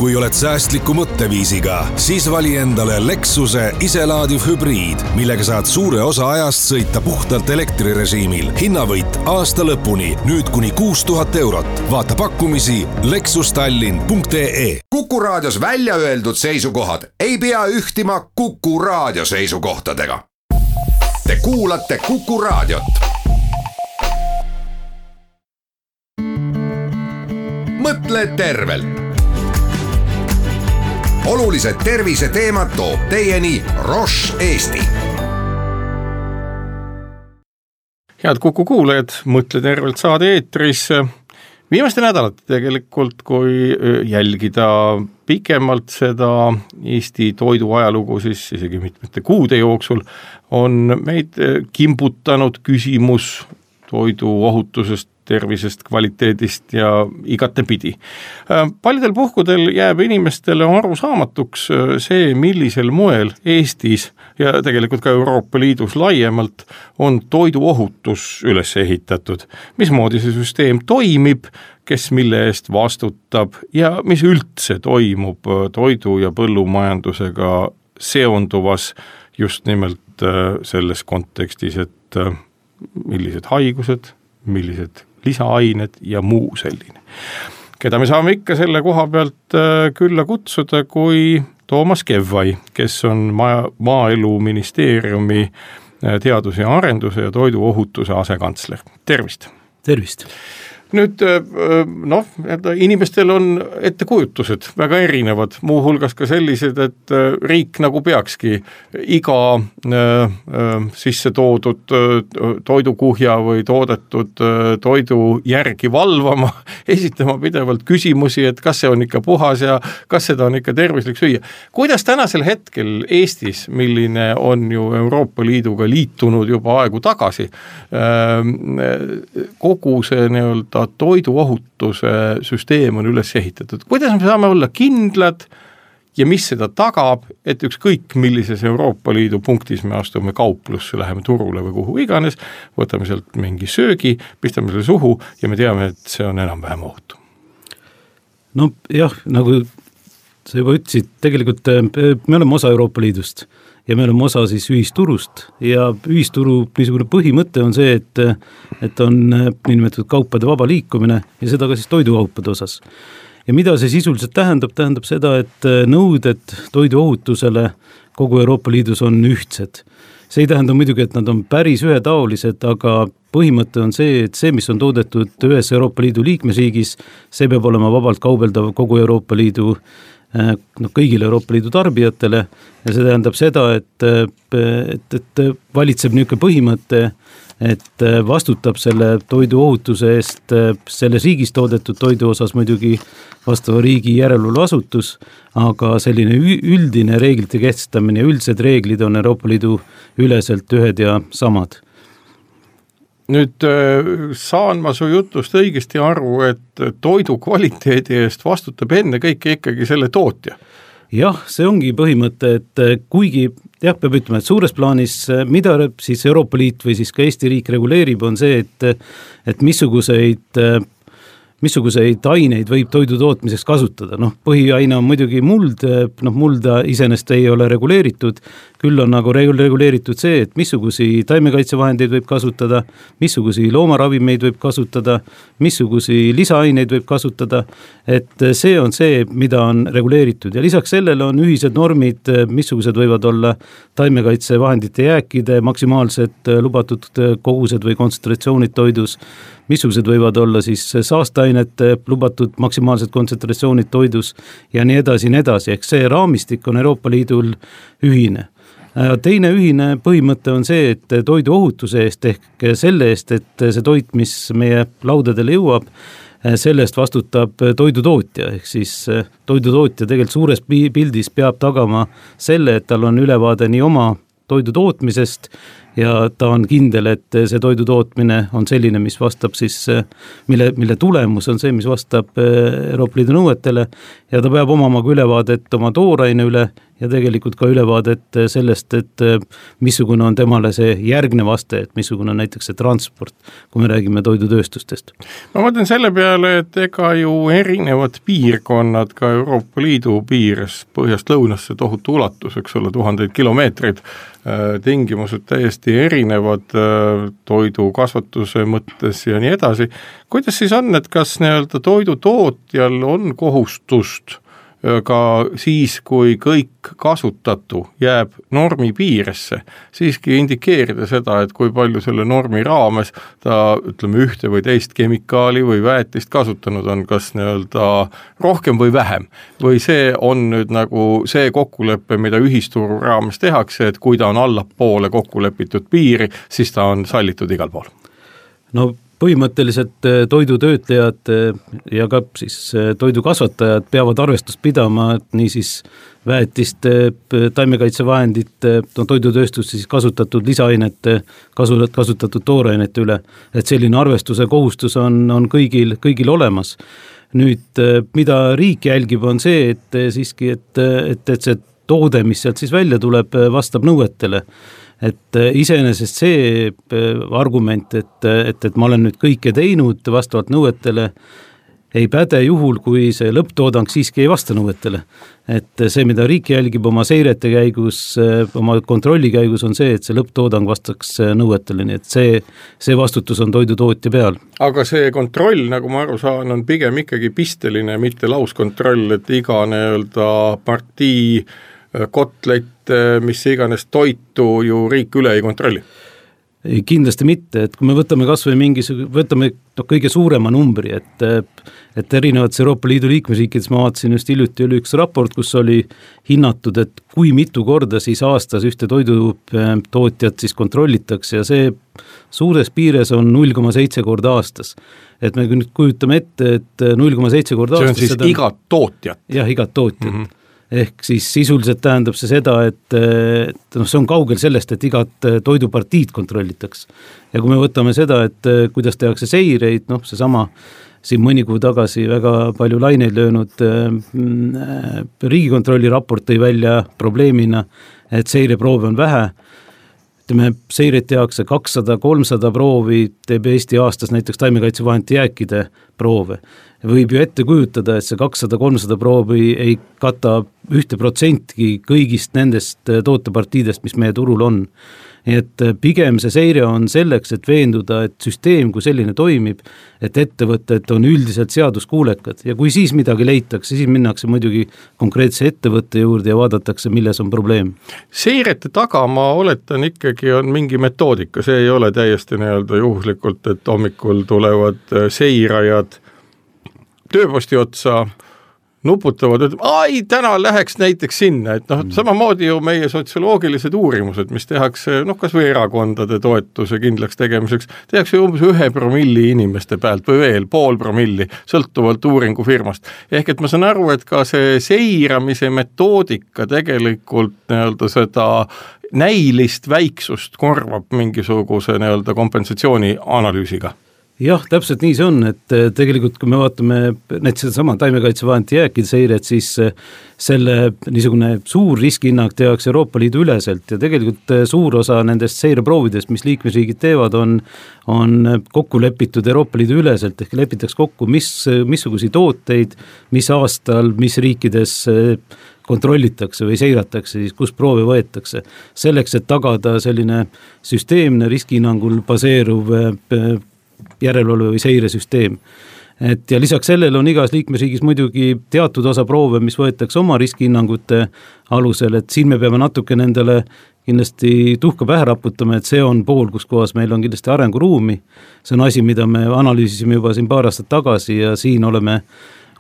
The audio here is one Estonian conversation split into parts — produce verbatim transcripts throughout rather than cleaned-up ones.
Kui oled säästliku mõtteviisiga, siis vali endale Lexuse iselaadiv hübriid, millega saad suure osa ajast sõita puhtalt elektrirežiimil. Hinnavõit aasta lõpuni, nüüd kuni kuus tuhat eurot. Vaata pakkumisi lexustallin punkt ee. Kuku Raadios välja öeldud seisukohad ei pea ühtima Kuku Raadio seisukohtadega. Te kuulate Kuku Raadiot. Mõtle tervelt. Olulised terviseteemad toob teieni Roche Eesti. Head Kuku kuulajad, Mõtle tervelt saade eetris. Viimaste nädalate tegelikult, kui jälgida pikemalt seda Eesti toidu ajalugu, siis isegi mitmete kuude jooksul on meid kimbutanud küsimus toidu ohutusest, tervisest, kvaliteedist ja igatepidi. Paljudel puhkudel jääb inimestele arusaamatuks see, millisel moel Eestis ja tegelikult ka Euroopa Liidus laiemalt on toiduohutus üles ehitatud. Mismoodi see süsteem toimib, kes mille eest vastutab ja mis üldse toimub toidu- ja põllumajandusega seonduvas just nimelt selles kontekstis, et millised haigused, millised lisaained ja muu selline. Keda me saame ikka selle koha pealt külla kutsuda kui Toomas Kevvai, kes on maa, Maaeluministeeriumi teaduse ja arenduse ja toiduohutuse asekantsler. Tervist! Tervist! Nüüd, noh, inimestel on ettekujutused väga erinevad, muuhulgas ka sellised, et riik nagu peakski iga sisse toodud toidukuhja või toodetud toidu järgi valvama, esitama pidevalt küsimusi, et kas see on ikka puhas ja kas seda on ikka tervislik süüa. Kuidas tänasel hetkel Eestis, milline on ju Euroopa Liiduga liitunud juba aegu tagasi, kogu see nii-öelda toiduohutuse süsteem on üles ehitatud? Kuidas me saame olla kindlad ja mis seda tagab, et ükskõik millises Euroopa Liidu punktis me astume kauplusse, läheme turule või kuhu iganes, võtame sealt mingi söögi, pistame selle suhu ja me teame, et see on enam-vähem ohutu? No jah, nagu sa juba ütlesid, tegelikult me oleme osa Euroopa Liidust ja me oleme osa siis ühisturust ja ühisturu niisugune põhimõte on see, et, et on nimetatud kaupade vaba liikumine ja seda ka siis toidukaupade osas. Ja mida see sisuliselt tähendab? Tähendab seda, et nõuded toiduohutusele kogu Euroopa Liidus on ühtsed. See ei tähenda muidugi, et nad on päris ühetaolised, aga põhimõte on see, et see, mis on toodetud ühes Euroopa Liidu liikmesriigis, see peab olema vabalt kaubeldav kogu Euroopa Liidu no, kõigile Euroopa Liidu tarbijatele ja see tähendab seda, et, et, et valitseb niisugune põhimõte, et vastutab selle toidu ohutuse eest selles riigis toodetud toidu osas muidugi vastava riigi järelevalveasutus, aga selline üldine reeglite kehtestamine ja üldsed reeglid on Euroopa Liidu üleselt ühed ja samad. Nüüd saan ma su jutust õigesti aru, et toidu kvaliteedi eest vastutab enne kõike ikkagi selle tootja. Jah, see ongi põhimõte, et kuigi jah, peab ütlema, et suures plaanis, mida siis Euroopa Liit või siis ka Eesti riik reguleerib, on see, et, et missuguseid missuguseid aineid võib toidu tootmiseks kasutada. Noh, põhiaine on muidugi muld, noh, mulda iseenesest ei ole reguleeritud, küll on nagu reguleeritud see, et missugusi taimekaitsevahendeid võib kasutada, missugusi loomaravimeid võib kasutada, missugusi lisaaineid võib kasutada, et see on see, mida on reguleeritud. Ja lisaks sellele on ühised normid, missugused võivad olla taimekaitsevahendite jääkide maksimaalsed lubatud kogused või kontsentratsioonid toidus, missugused võivad olla siis saasteainete lubatud maksimaalsed kontsentratsioonid toidus ja nii edasi, nii edasi. Ehk see raamistik on Euroopa Liidul ühine. Teine ühine põhimõte on see, et toidu ohutuse eest ehk selle eest, et see toit, mis meie laudadele jõuab, selle eest vastutab toidutootja. Ehk siis toidutootja tegelikult suures pildis peab tagama selle, et tal on ülevaade nii oma toidu tootmisest ja ta on kindel, et see toidu tootmine on selline, mis vastab siis, mille, mille tulemus on see, mis vastab Euroopa Liidu nõuetele ja ta peab omama ka ülevaadet oma tooraine üle ja tegelikult ka ülevaadet sellest, et missugune on temale see järgnev aste, et missugune on näiteks see transport, kui me räägime toidutööstustest. Ma mõtlen selle peale, et ega ju erinevad piirkonnad ka Euroopa Liidu piires põhjast lõunasse tohutu ulatus, eks ole, tuhandeid kilomeetreid, tingimused täiesti erinevad toidu kasvatuse mõttes ja nii edasi. Kuidas siis on, et kas nii-öelda toidu tootjal on kohustust ka siis, kui kõik kasutatu jääb normi piiresse, siiski indikeerida seda, et kui palju selle normi raames ta, ütleme, ühte või teist kemikaali või väetist kasutanud on, kas nii-öelda rohkem või vähem. Või see on nüüd nagu see kokkulepe, mida ühisturu raames tehakse, et kui ta on allapoole kokkulepitud piiri, siis ta on sallitud igal pool. No põhimõtteliselt toidutöötlejad ja ka siis toidukasvatajad peavad arvestust pidama, et niisiis väetiste, taimekaitsevahendite, no toidutööstus siis kasutatud lisaainete, kasutatud toorainete üle, et selline arvestuse kohustus on, on kõigil, kõigil olemas. Nüüd, mida riik jälgib, on see, et siiski, et, et, et see toode, mis sealt siis välja tuleb, vastab nõuetele. Et iseenesest see argument, et, et, et ma olen nüüd kõike teinud vastavalt nõuetele, ei päde juhul, kui see lõpptoodang siiski ei vasta nõuetele. Et see, mida riik jälgib oma seirete käigus, oma kontrolli käigus, on see, et see lõpptoodang vastaks nõuetele, nii et see, see vastutus on toidutootja peal. Aga see kontroll, nagu ma aru saan, on pigem ikkagi pisteline, mitte lauskontroll, et iga nii-öelda partii kotlet, mis iganes toitu ju riik üle ei kontrolli? Kindlasti mitte, et kui me võtame kas või mingis, võtame no, kõige suurema numbri, et, et erinevates Euroopa Liidu liikmesriikides ma vaatasin just hiljuti oli üks raport, kus oli hinnatud, et kui mitu korda siis aastas ühte toidutootjat siis kontrollitakse ja see suures piires on null koma seitse korda aastas. Et me nüüd kujutame ette, et null koma seitse korda aastas. See on siis seda... igat tootjat? Jah, igat tootjat. Mm-hmm. Ehk siis sisuliselt tähendab see seda, et, et no, see on kaugel sellest, et igat toidupartiid kontrollitaks. Ja kui me võtame seda, et kuidas tehakse seireid, noh see sama siin mõni kuu tagasi väga palju laineid löönud äh, Riigikontrolli raport tõi välja probleemina, et seireproove on vähe. Ütleme, seiret tehakse kakssada kolmsada proovi, teeb Eesti aastas näiteks taimekaitsevahendite jääkide proove. Võib ju ette kujutada, et see kakssada kolmsada proovi ei kata ühte protsentki kõigist nendest tootepartiidest, mis meie turul on. Et pigem see seire on selleks, et veenduda, et süsteem kui selline toimib, et ettevõtted on üldiselt seaduskuulekad ja kui siis midagi leitakse, siis minnakse muidugi konkreetse ettevõtte juurde ja vaadatakse, milles on probleem. Seirete taga ma oletan ikkagi on mingi metoodika, see ei ole täiesti nii-öelda juhuslikult, et hommikul tulevad seirajad tööposti otsa, nuputavad, et ai, täna läheks näiteks sinna, et noh, samamoodi ju meie sotsioloogilised uurimused, mis tehakse, noh, kas või erakondade toetuse kindlaks tegemiseks, tehakse umbes ühe promilli inimeste pealt või veel pool promilli, sõltuvalt uuringufirmast. Ehk et ma saan aru, et ka see seiramise metoodika tegelikult nii-öelda seda näilist väiksust korvab mingisuguse nii-öelda kompensatsiooni analüüsiga. Jah, täpselt nii see on, et tegelikult kui me vaatame näiteks seda sama taimekaitsevahendite jääkide seiret, siis selle niisugune suur riskihinnang tehakse Euroopa Liidu üleselt ja tegelikult suur osa nendest seireproovidest, mis liikmesriigid teevad, on, on kokku lepitud Euroopa Liidu üleselt, ehk lepitaks kokku, mis, missugusi tooteid, mis aastal, mis riikides kontrollitakse või seiratakse, siis kus proove võetakse. Selleks, et tagada selline süsteemne riskihinnangul baseeruv järelevalve või seiresüsteem. Et ja lisaks sellele on igas liikmesriigis muidugi teatud osa proove, mis võetakse oma riskihinnangute alusel, et siin me peame natuke nendele kindlasti tuhka pähe raputama, et see on pool, kus kohas meil on kindlasti arenguruumi. See on asi, mida me analüüsisime juba siin paar aastat tagasi ja siin oleme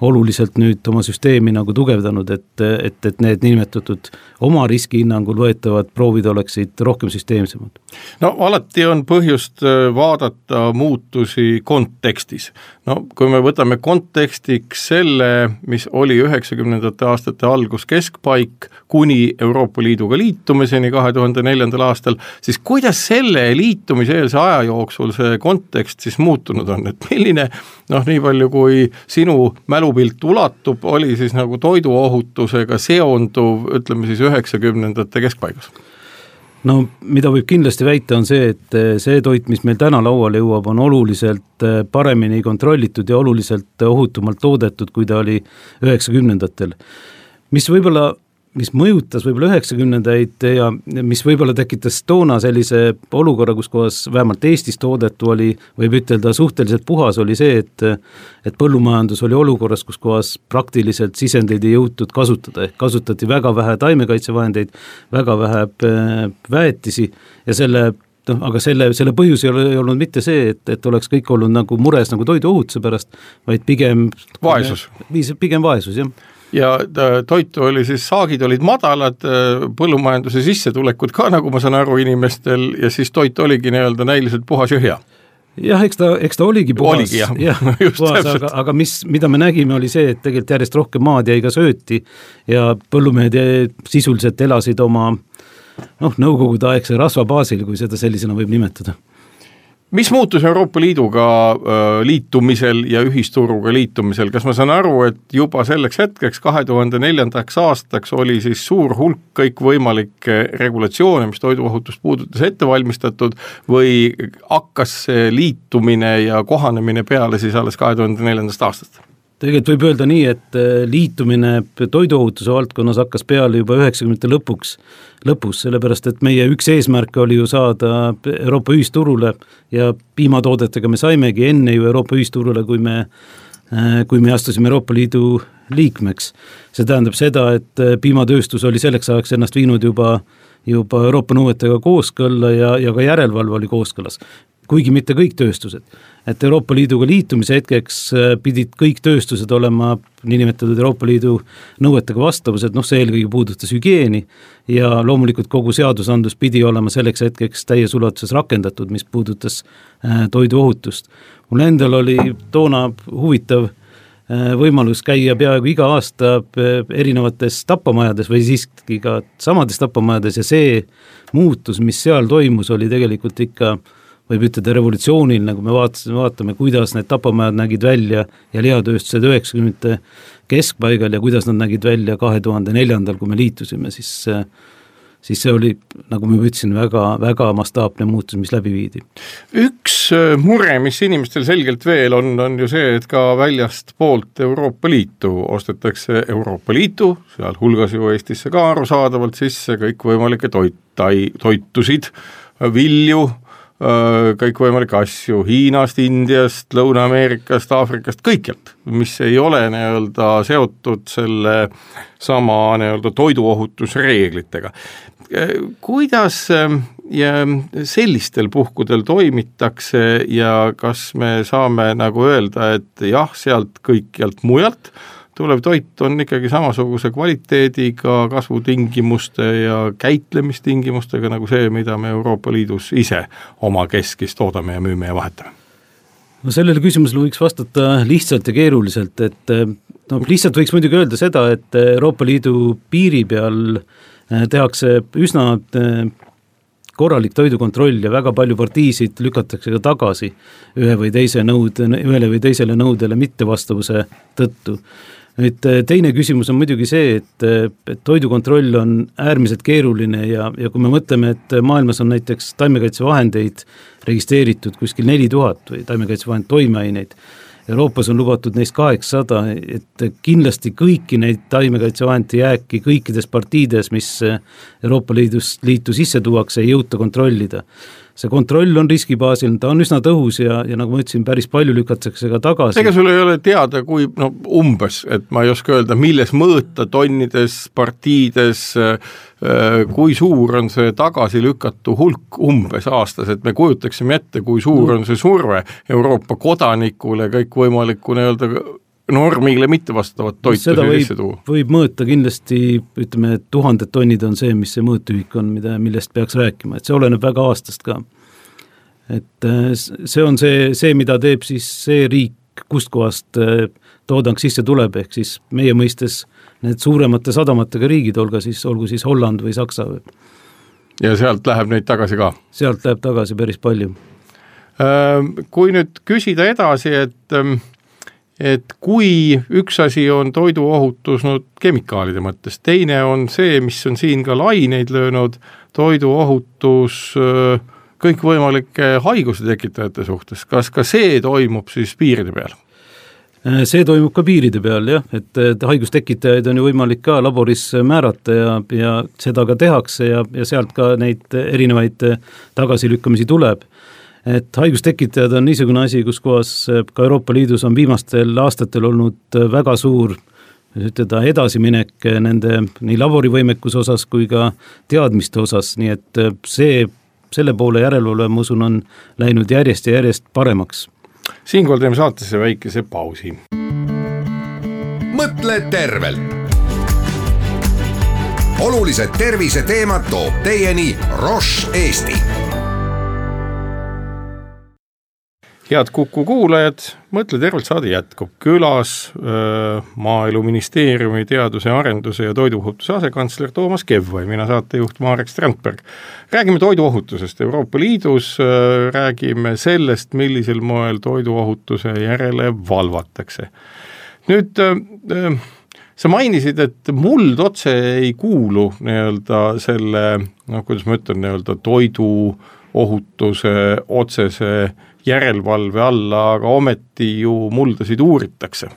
oluliselt nüüd oma süsteemi nagu tugevdanud, et, et, et need nimetatud oma riskihinnangul võetavad proovid oleksid rohkem süsteemsemad. No alati on põhjust vaadata muutusi kontekstis. No kui me võtame kontekstiks selle, mis oli üheksakümnendate aastate algus keskpaik kuni Euroopa Liiduga liitumiseni kahe tuhande neljandal aastal, siis kuidas selle liitumiseelse aja jooksul see kontekst siis muutunud on, et milline, noh nii palju kui sinu mälupilt ulatub, oli siis nagu toiduohutusega seonduv, ütleme siis üheksakümnendate keskpaigas? No mida võib kindlasti väita on see, et see toit, mis meil täna lauale jõuab, on oluliselt paremini kontrollitud ja oluliselt ohutumalt toodetud, kui ta oli üheksakümnendatel. Mis võib-olla mis mõjutas võib-olla üheksakümnendaid ja mis võib-olla tekitas toona sellise olukorra, kus kohas vähemalt Eestis toodetu oli, võib ütelda suhteliselt puhas, oli see, et, et põllumajandus oli olukorras, kus kohas praktiliselt sisendeid ei jõutud kasutada, ehk kasutati väga vähe taimekaitsevahendeid, väga vähe väetisi ja selle No, aga selle, selle põhjus ei, ole, ei olnud mitte see, et, et oleks kõik olnud nagu mures nagu toiduohutuse pärast, vaid pigem vaesus. Pigem vaesus, jah. Ja toitu oli siis, saagid olid madalad, põllumajanduse sissetulekud ka, nagu ma saan aru inimestel, ja siis toit oligi nii-öelda näiliselt puhas ja hea. Jah, eks ta, eks ta oligi puhas, oligi, jah. jah, puhas aga, aga mis, mida me nägime, oli see, et tegelikult järjest rohkem maad jäi ka sööti ja põllumehed sisuliselt elasid oma noh, nõukogude aegse rasva baasil, kui seda sellisena võib nimetada. Mis muutus Euroopa Liiduga liitumisel ja ühisturuga liitumisel? Kas ma saan aru, et juba selleks hetkeks kahe tuhande neljandaks aastaks oli siis suur hulk kõikvõimalikke regulatsioone, mis toiduohutust puudutas ette valmistatud või hakkas see liitumine ja kohanemine peale siis alles kahe tuhande neljandast aastast? Tegelikult võib öelda nii, et liitumine toiduohutuse valdkonnas hakkas peale juba üheksakümnendate lõpuks, lõpus, sellepärast et meie üks eesmärk oli ju saada Euroopa ühisturule ja piimatoodetega me saimegi enne ju Euroopa ühisturule, kui me, kui me astusime Euroopa Liidu liikmeks. See tähendab seda, et piimatööstus oli selleks ajaks ennast viinud juba, juba Euroopa nõuetega kooskõlla ja, ja ka järelevalve oli kooskõlas. Kuigi mitte kõik tööstused, et Euroopa Liiduga liitumise hetkeks pidid kõik tööstused olema niinimetatud Euroopa Liidu nõuetega vastavused, noh see eelkõige puudutas hügieeni ja loomulikult kogu seadusandlus pidi olema selleks hetkeks täies ulatuses rakendatud, mis puudutas toiduohutust. Mul endal oli toona huvitav võimalus käia peaaegu iga aasta erinevates tapamajades või siiski ka samades tapamajades ja see muutus, mis seal toimus, oli tegelikult ikka võib ütelda revolutsioonil, nagu me vaatasime, vaatame, kuidas need tapamajad nägid välja ja lihatööstused üheksakümnendate keskpaigal ja kuidas nad nägid välja kahe tuhande neljandal, kui me liitusime, siis, siis see oli, nagu ma ütlesin, väga, väga mastaapne muutus, mis läbi viidi. Üks mure, mis inimestel selgelt veel on, on ju see, et ka väljast poolt Euroopa Liitu ostetakse Euroopa Liitu, seal hulgas ju Eestisse ka arusaadavalt sisse kõik võimalikke toit, toitusid, vilju, kõik võimalikke asju Hiinast, Indiast, Lõuna-Ameerikast, Aafrikast, kõikjalt, mis ei ole nii-öelda seotud selle sama nii-öelda toiduohutusreeglitega. Kuidas ja sellistel puhkudel toimitakse ja kas me saame nagu öelda, et jah, sealt kõikjalt mujalt tulev toit on ikkagi samasuguse kvaliteediga, kasvutingimuste ja käitlemistingimustega nagu see, mida me Euroopa Liidus ise oma keskis toodame ja müüme ja vahetame? No sellele küsimusele võiks vastata lihtsalt ja keeruliselt, et no, lihtsalt võiks muidugi öelda seda, et Euroopa Liidu piiri peal tehakse üsna korralik toidukontroll ja väga palju partiisid lükatakse ka tagasi ühe või teise nõude, ühele või teisele nõudele mittevastavuse tõttu. Nüüd, teine küsimus on muidugi see, et, et toidukontroll on äärmiselt keeruline ja, ja kui me mõtleme, et maailmas on näiteks taimekaitsevahendeid registreeritud kuskil neli tuhat või taimekaitsevahend toimeaineid, Euroopas on lubatud neist kaheksasada, et kindlasti kõiki neid taimekaitsevahendite jääki kõikides partiides, mis Euroopa Liidus liitu sisse tuuakse, ei jõuta kontrollida. See kontroll on riskibaasil, ta on üsna tõhus ja, ja nagu ma ütlesin, päris palju lükatakse ka tagasi. Ega sul ei ole teada, kui no, umbes, et ma ei oska öelda, milles mõõta tonnides, partiides, kui suur on see tagasi lükatu hulk umbes aastas, et me kujutaksime ette, kui suur on see surve Euroopa kodanikule kõik võimaliku nii-öelda normile mitte vastavat toitu seda võib, sisse tuua. võib mõõta kindlasti, ütleme, et tuhanded tonnid on see, mis see mõõtühik on, mida, millest peaks rääkima, et see oleneb väga aastast ka. Et see on see, see, mida teeb siis see riik, kust kohast toodang sisse tuleb, ehk siis meie mõistes need suuremate sadamatega riigid, olgu siis, olgu siis Holland või Saksa. Ja sealt läheb neid tagasi ka? Sealt läheb tagasi päris palju. Kui nüüd küsida edasi, et et kui üks asi on toiduohutus no, kemikaalide mõttes, teine on see, mis on siin ka laineid löönud, toiduohutus kõikvõimalike haiguse tekitajate suhtes, kas ka see toimub siis piiride peal? See toimub ka piiride peal, jah, et, et haigustekitajaid on ju võimalik ka laboris määrata ja, ja seda ka tehakse ja, ja sealt ka neid erinevaid tagasilükkamisi tuleb. Et haigustekitajad on niisugune asi, kus kohas ka Euroopa Liidus on viimastel aastatel olnud väga suur ütleda, edasiminek nende nii laborivõimekuse osas kui ka teadmiste osas, nii et see, selle poole järelevalve, ma usun, on läinud järjest ja järjest paremaks. Siinkohal teeme saatesse väikese pausi. Mõtle tervelt. Olulised tervise teemad toob teieni Roche Eesti. Head Kuku kuulajad, Mõtle tervelt saade jätkub. Külas öö, Maaeluministeeriumi teaduse, arenduse ja toiduohutuse asekantsler Toomas Kevvai, mina saatejuht Marek Strandberg. Räägime toiduohutusest Euroopa Liidus, öö, räägime sellest, millisel moel toiduohutuse järele valvatakse. Nüüd öö, sa mainisid, et muld otse ei kuulu nii-öelda selle, no kuidas ma ütlen, nii-öelda toiduohutuse otsese järelvalve alla, aga ometi ju muldasid uuritakse.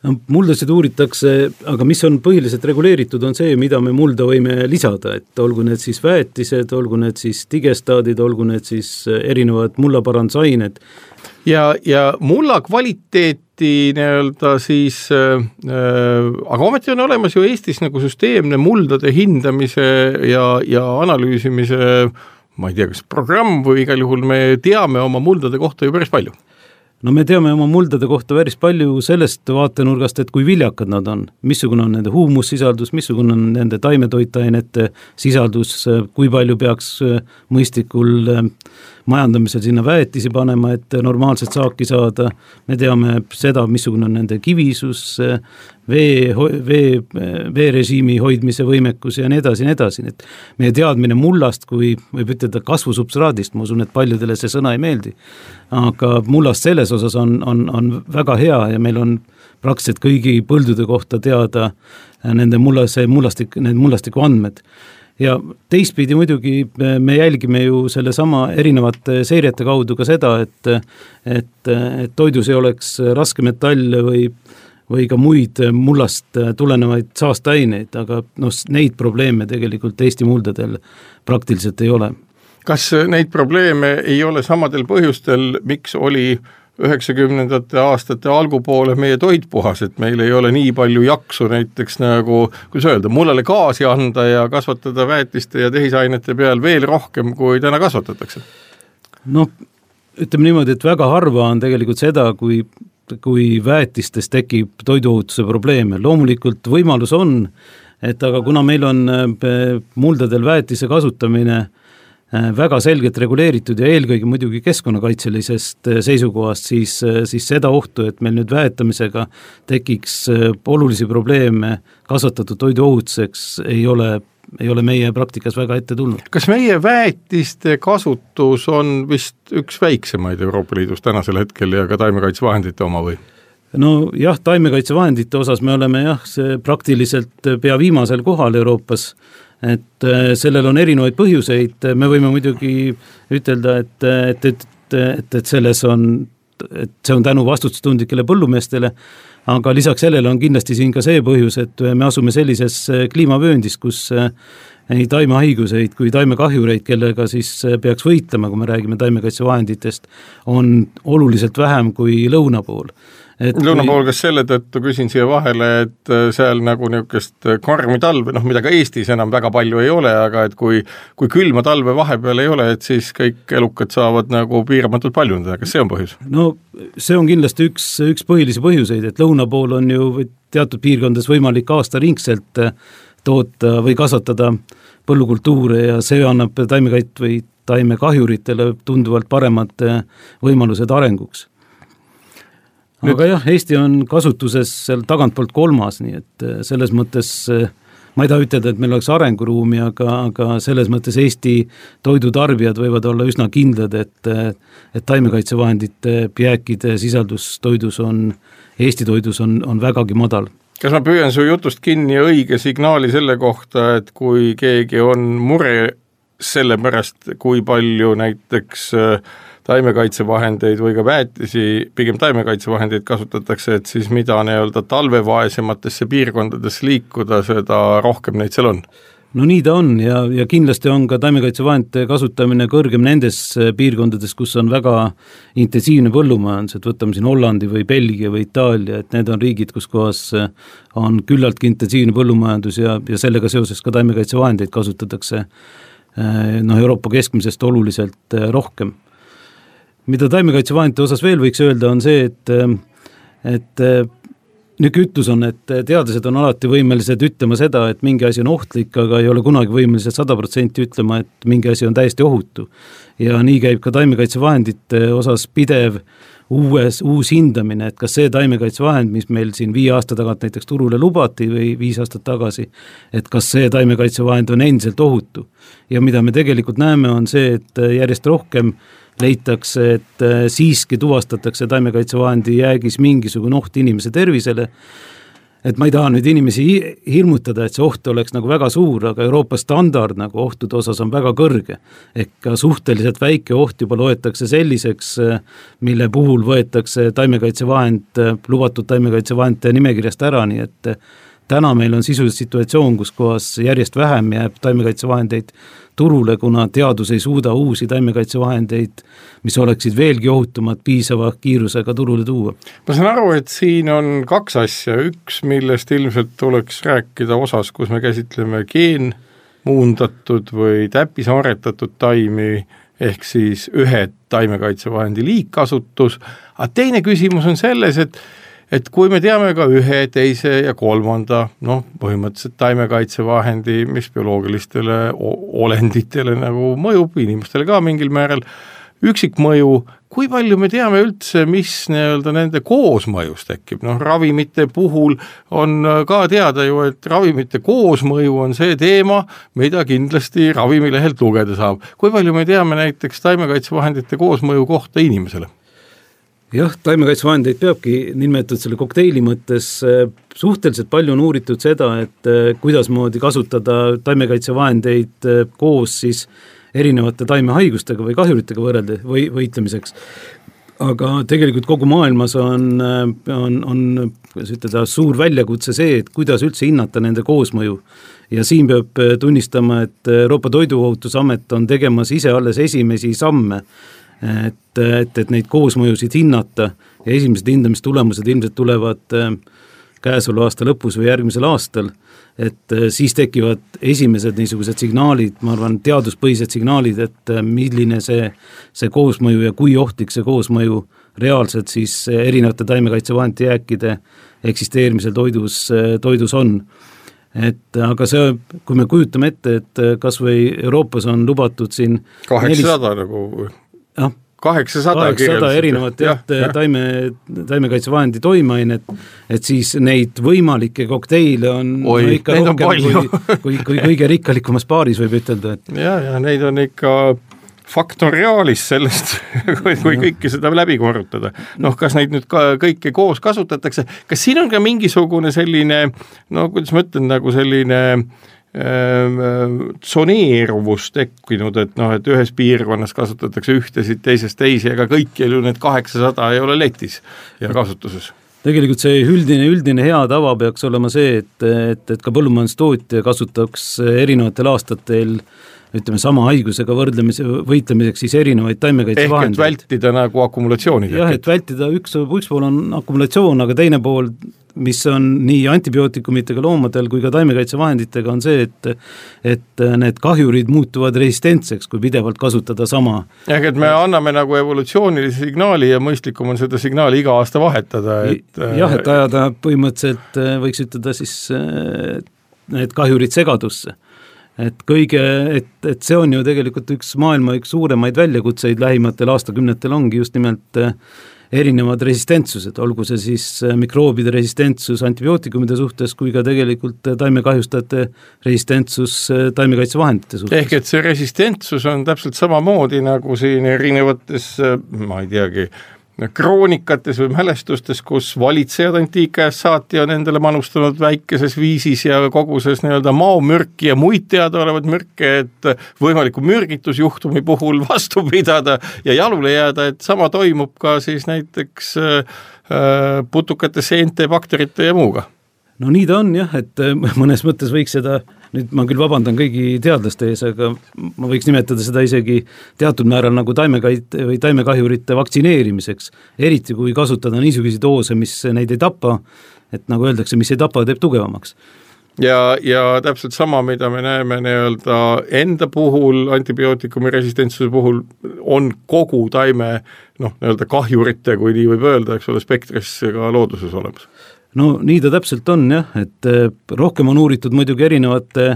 No, muldasid uuritakse, aga mis on põhiliselt reguleeritud, on see, mida me mulda võime lisada, et olgu need siis väetised, olgu need siis digestaadid, olgu need siis erinevad mullaparandusained. Ja, ja mulla kvaliteeti nii-öelda siis, äh, aga ometi on olemas ju Eestis nagu süsteemne muldade hindamise ja, ja analüüsimise ma ei tea, kas programm või igal juhul me teame oma muldade kohta ju päris palju. No me teame oma muldade kohta päris palju sellest vaatenurgast, et kui viljakad nad on, missugune on nende huumussisaldus, missugune on nende taimetoitainete sisaldus, kui palju peaks mõistikul majandamisel sinna väetisi panema, et normaalselt saaki saada. Me teame seda, missugune on nende kivisus, vee, vee, veerežiimi hoidmise võimekus ja nii edasi, nii edasi. Et meie teadmine mullast, kui võib ütelda kasvusubstraadist, ma usun, et paljudele see sõna ei meeldi, aga mullast selles osas on, on, on väga hea ja meil on praktiliselt kõigi põldude kohta teada nende mullase, mullastik, need mullastiku andmed. Ja teistpidi muidugi me jälgime ju selle sama erinevate seirete kaudu ka seda, et, et, et toidus ei oleks raskmetalle või, või ka muid mullast tulenevaid saasteaineid, aga no, neid probleeme tegelikult Eesti muldadel praktiliselt ei ole. Kas neid probleeme ei ole samadel põhjustel, miks oli üheksakümnendate aastate algupoole meie toit puhas, et meil ei ole nii palju jaksu näiteks nagu, kuidas öelda, mullale gaasi anda ja kasvatada väetiste ja tehisainete peal veel rohkem, kui täna kasvatatakse? No, ütleme niimoodi, et väga harva on tegelikult seda, kui, kui väetistes tekib toiduohutuse probleeme. Loomulikult võimalus on, et aga kuna meil on muldadel väetise kasutamine väga selgelt reguleeritud ja eelkõige muidugi keskkonnakaitselisest seisukohast, siis, siis seda ohtu, et meil nüüd väetamisega tekiks olulisi probleeme kasvatatud toidu ohutuseks, ei ole, ei ole meie praktikas väga ette tulnud. Kas meie väetiste kasutus on vist üks väiksemaid Euroopa Liidus tänasel hetkel ja ka taimekaitsevahendite oma või? No jah, taimekaitsevahendite osas me oleme jah, see praktiliselt pea viimasel kohal Euroopas, et sellel on erinevaid põhjuseid, me võime muidugi ütelda, et, et, et, et, et selles on, et see on tänu vastutustundlikele põllumeestele, aga lisaks sellele on kindlasti siin ka see põhjus, et me asume sellises kliimavööndis, kus nii taimehaiguseid kui taimekahjureid, kellega siis peaks võitlema, kui me räägime taimekaitsevahenditest, on oluliselt vähem kui lõuna pool. lõuna pool, kas selle tõttu küsin siia vahele, et seal nagu niisugust karmi talve, noh mida ka Eestis enam väga palju ei ole, aga et kui, kui külma talve vahepeal ei ole, et siis kõik elukad saavad nagu piiramatult paljundada, kas see on põhjus? No see on kindlasti üks, üks põhilisi põhjuseid, et lõuna pool on ju teatud piirkondades võimalik aastaringselt toota või kasvatada põllukultuure ja see annab taimekait või taimekahjuritele tunduvalt paremad võimalused arenguks. Nüüd... Aga jah, Eesti on kasutuses seal tagantpoolt kolmas, nii et selles mõttes ma ei taha ütelda, et meil oleks arenguruumi, aga, aga selles mõttes Eesti toidutarbijad võivad olla üsna kindlad, et, et taimekaitsevahendite jääkide sisaldus toidus on, Eesti toidus on, on vägagi madal. Kas ma püüan su jutust kinni õige signaali selle kohta, et kui keegi on mure selle pärast, kui palju näiteks taimekaitsevahendeid või ka väetisi, pigem taimekaitsevahendeid kasutatakse, et siis mida nii-öelda talvevaesematesse piirkondades liikuda, seda rohkem neid seal on? No nii ta on ja, ja kindlasti on ka taimekaitsevahendite kasutamine kõrgem nendes piirkondades, kus on väga intensiivne põllumajandus, et võtame siin Hollandi või Belgia või Itaalia, et need on riigid, kus kohas on küllaltki intensiivne põllumajandus ja, ja sellega seoses ka taimekaitsevahendeid kasutatakse no, Euroopa keskmisest oluliselt rohkem. Mida taimekaitsevahendite osas veel võiks öelda on see, et, et niisugune ütlus on, et teadlased on alati võimelised ütlema seda, et mingi asi on ohtlik, aga ei ole kunagi võimelised sada protsenti ütlema, et mingi asi on täiesti ohutu. Ja nii käib ka taimekaitsevahendite osas pidev uues, uus hindamine, et kas see taimekaitsevahend, mis meil siin viie aasta tagant näiteks turule lubati või viis aastat tagasi, et kas see taimekaitsevahend on endiselt ohutu. Ja mida me tegelikult näeme on see, et järjest rohkem leitakse, et siiski tuvastatakse taimekaitsevahendi jäägis mingisugune oht inimese tervisele. Et ma ei taha nüüd inimesi hirmutada, et see oht oleks nagu väga suur, aga Euroopa standard nagu ohtude osas on väga kõrge. Ehk ka suhteliselt väike oht juba loetakse selliseks, mille puhul võetakse taimekaitsevahend, lubatud taimekaitsevahendite nimekirjast ära, nii et täna meil on sisuliselt situatsioon, kus kohas järjest vähem jääb taimekaitsevahendeid turule, kuna teadus ei suuda uusi taimekaitsevahendeid, mis oleksid veelgi ohutumad piisava kiirusega turule tuua. Ma saan aru, et siin on kaks asja. Üks, millest ilmselt tuleks rääkida osas, kus me käsitleme geenmuundatud või täppisaaretatud taimi, ehk siis ühe taimekaitsevahendi liigkasutus. Aga teine küsimus on selles, et et kui me teame ka ühe, teise ja kolmanda, noh, põhimõtteliselt taimekaitsevahendi, mis bioloogilistele olenditele nagu mõjub, inimestele ka mingil määral, üksikmõju, kui palju me teame üldse, mis nii-öelda nende koosmõjus tekib? Noh, ravimite puhul on ka teada ju, et ravimite koosmõju on see teema, mida kindlasti ravimilehelt lugeda saab. Kui palju me teame näiteks taimekaitsevahendite koosmõju kohta inimesele? Jah, taimekaitsevahendeid peabki nimetatud selle kokteili mõttes suhteliselt palju on uuritud seda, et kuidas moodi kasutada taimekaitsevahendeid koos siis erinevate taimehaigustega või kahjuritega võrrelda või võitlemiseks. Aga tegelikult kogu maailmas on, on, on ütelda, suur väljakutse see, et kuidas üldse hinnata nende koosmõju. Ja siin peab tunnistama, et Euroopa Toiduohutusamet on tegemas ise alles esimesi samme, et, et, et neid koosmõjusid hinnata ja esimesed hindamistulemused ilmselt tulevad käesoleva aasta lõpus või järgmisel aastal, et siis tekivad esimesed niisugused signaalid, ma arvan, teaduspõhised signaalid, et milline see, see koosmõju ja kui ohtlik see koosmõju reaalselt siis erinevate taimekaitsevahendite jääkide eksisteerimisel toidus, toidus on. Et aga see, kui me kujutame ette, et kas või Euroopas on lubatud siin kaheksasada nelis... nagu jah, kaheksasada erinevat jah, jah. taime, taimekaitsevahendi toimainet, et siis neid võimalikke kokteile on Oi, no ikka rohkem kui, kui, kui kõige rikkalikumas paaris võib ütelda. Et... Ja, ja neid on ikka faktoriaalis sellest, kui, kui kõike seda läbi korrutada. Noh, kas neid nüüd ka kõike koos kasutatakse? Kas siin on ka mingisugune selline, no kuidas ma ütlen, nagu selline tsoneeruvus tekkinud, et noh, et ühes piirkonnas kasutatakse ühtesid, teisest teisi, aga kõik ju need kaheksasada ei ole letis ja kasutuses. Tegelikult see üldine, üldine hea tava peaks olema see, et, et, et ka põllumajandustootja kasutaks erinevatel aastatel ütleme sama haigusega võrdlemise, võitlemiseks siis erinevaid taimekaitsevahendeid. Ehk et vältida nagu akumulatsiooni. Jah, et vältida üks, üks pool on akumulatsioon, aga teine pool, mis on nii antibiootikumidega loomadel kui ka taimekaitsevahenditega, on see, et, et need kahjurid muutuvad resistentseks, kui pidevalt kasutada sama. Ehk et me anname nagu evolutsioonilise signaali ja mõistlikum on seda signaali iga aasta vahetada. Et... jah, et ajada põhimõtteliselt võiks ütelda siis need kahjurid segadusse. Et kõige, et, et see on ju tegelikult üks maailma üks suuremaid väljakutseid lähimatel aastakümnetel ongi just nimelt erinevad resistentsused, olgu see siis mikroobide resistentsus antibiootikumide suhtes kui ka tegelikult taimekahjustajate resistentsus taimekaitsevahendite suhtes. Ehk et see resistentsus on täpselt samamoodi nagu siin erinevates, ma ei teagi, kroonikates või mälestustes, kus valitsejad antiikajast saati on endale manustanud väikeses viisis ja koguses nii-öelda maomürki ja muid teadaolevad mürke, et võimaliku mürgitusjuhtumi puhul vastu pidada ja jalule jääda, et sama toimub ka siis näiteks äh, putukate, seente, bakterite ja muuga. No nii ta on jah, et mõnes mõttes võiks seda, nüüd ma küll vabandan kõigi teadlaste ees, aga ma võiks nimetada seda isegi teatud määral nagu taimekait- või taimekahjurite vaktsineerimiseks, eriti kui kasutada niisuguseid doose, mis neid ei tapa, et nagu öeldakse, mis ei tapa, teeb tugevamaks. Ja, ja täpselt sama, mida me näeme nii-öelda enda puhul, antibiootikumi resistentsuse puhul, on kogu taime noh, nii-öelda kahjurite, kui nii võib öelda, eks ole, spektris ka looduses olemas. No nii ta täpselt on jah, et rohkem on uuritud muidugi erinevate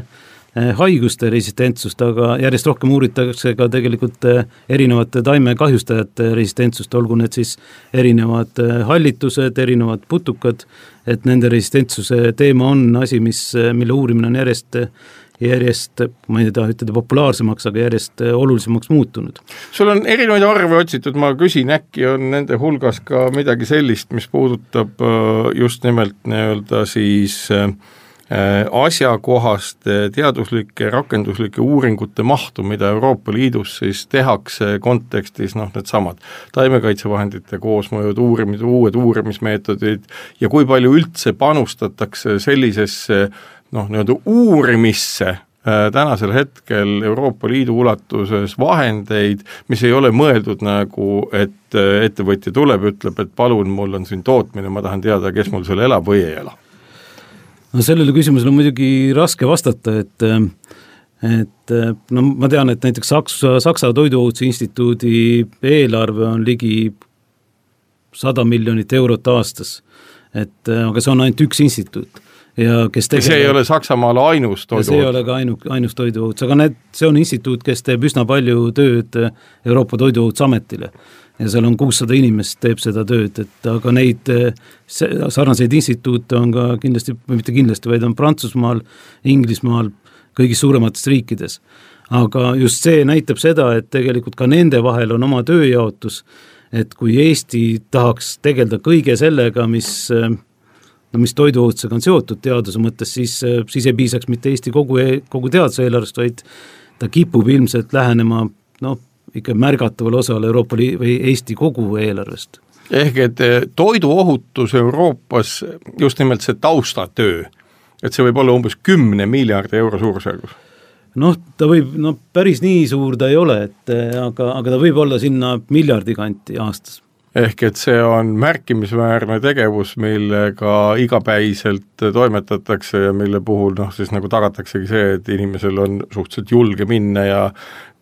haiguste resistentsust, aga järjest rohkem uuritakse ka tegelikult erinevate taimekahjustajate resistentsust, olgu need siis erinevad hallitused, erinevad putukad, et nende resistentsuse teema on asi, mis, mille uurimine on järjest järjest, ma ei taha ütelda populaarsemaks, aga järjest olulisemaks muutunud. Sul on erinevaid arve otsitud, ma küsin, äkki on nende hulgas ka midagi sellist, mis puudutab just nimelt nii-öelda siis asjakohaste teaduslike, rakenduslike uuringute mahtu, mida Euroopa Liidus siis tehakse kontekstis, noh, need samad taimekaitsevahendite koosmõjud, uurimid, uued uurimismeetodid ja kui palju üldse panustatakse sellisesse noh, nii-öelda uurimisse tänasel hetkel Euroopa Liidu ulatuses vahendeid, mis ei ole mõeldud nagu, et ettevõtja tuleb, ütleb, et palun, mul on siin tootmine, ma tahan teada, kes mul seal elab või ei ela. No sellele küsimusele on muidugi raske vastata, et, et no ma tean, et näiteks Saksa, Saksa Toiduohutuse Instituudi eelarve on ligi sada miljonit eurot aastas, et, aga see on ainult üks instituut. Ja kes tegeleb, see ei ole Saksamaal ainus toiduohutus. See ei ole ka ainu, ainus toiduohutus, aga need, see on instituut, kes teeb üsna palju tööd Euroopa Toiduohutusametile ja seal on kuussada inimest teeb seda tööd, et aga neid sarnaseid instituute on ka kindlasti, või mitte kindlasti, vaid on Prantsusmaal, Inglismaal, kõigis suuremates riikides. Aga just see näitab seda, et tegelikult ka nende vahel on oma tööjaotus, et kui Eesti tahaks tegelda kõige sellega, mis no mis toiduohutusega on seotud teaduse mõttes, siis, siis ei piisaks mitte Eesti kogu, kogu teaduse eelarvest, vaid ta kipub ilmselt lähenema no, ikka märgataval osal Euroopa Liidu või Eesti kogu eelarvest. Ehk et toiduohutus Euroopas, just nimelt see taustatöö, et see võib olla umbes kümne miljardi euro suurusjärgus. Noh, ta võib, no päris nii suur ta ei ole, et, aga, aga ta võib olla sinna miljardi kanti aastas. Ehk et see on märkimisväärne tegevus, millega igapäiselt toimetatakse ja mille puhul noh, siis nagu tagataksegi see, et inimesel on suhteliselt julge minna ja